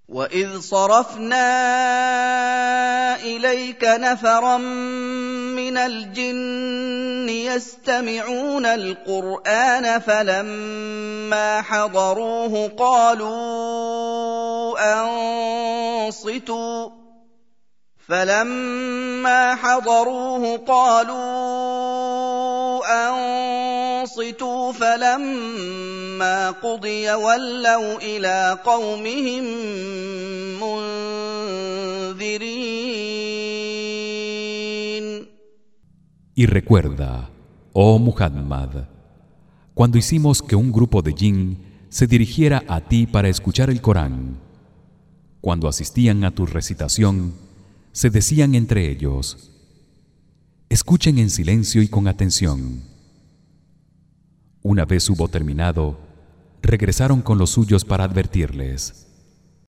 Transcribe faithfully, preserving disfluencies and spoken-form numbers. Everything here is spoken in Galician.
وَإِذْ صَرَفْنَا إِلَيْكَ نَفَرًا مِّنَ الْجِنِّ يَسْتَمِعُونَ الْقُرْآنَ فَلَمَّا حَضَرُوهُ قَالُوا أَنصِتُوا فَلَمَّا حَضَرُوهُ قَالُوا أَنصِتُوا فَلَمَّا قُضِيَ وَلَّوْا إِلَىٰ قَوْمِهِم مُّنذِرِينَ. Y recuerda, oh Muhammad, cuando hicimos que un grupo de jinn se dirigiera a ti para escuchar el Corán. Cuando asistían a tu recitación, se decían entre ellos: escuchen en silencio y con atención. Una vez hubo terminado, regresaron con los suyos para advertirles: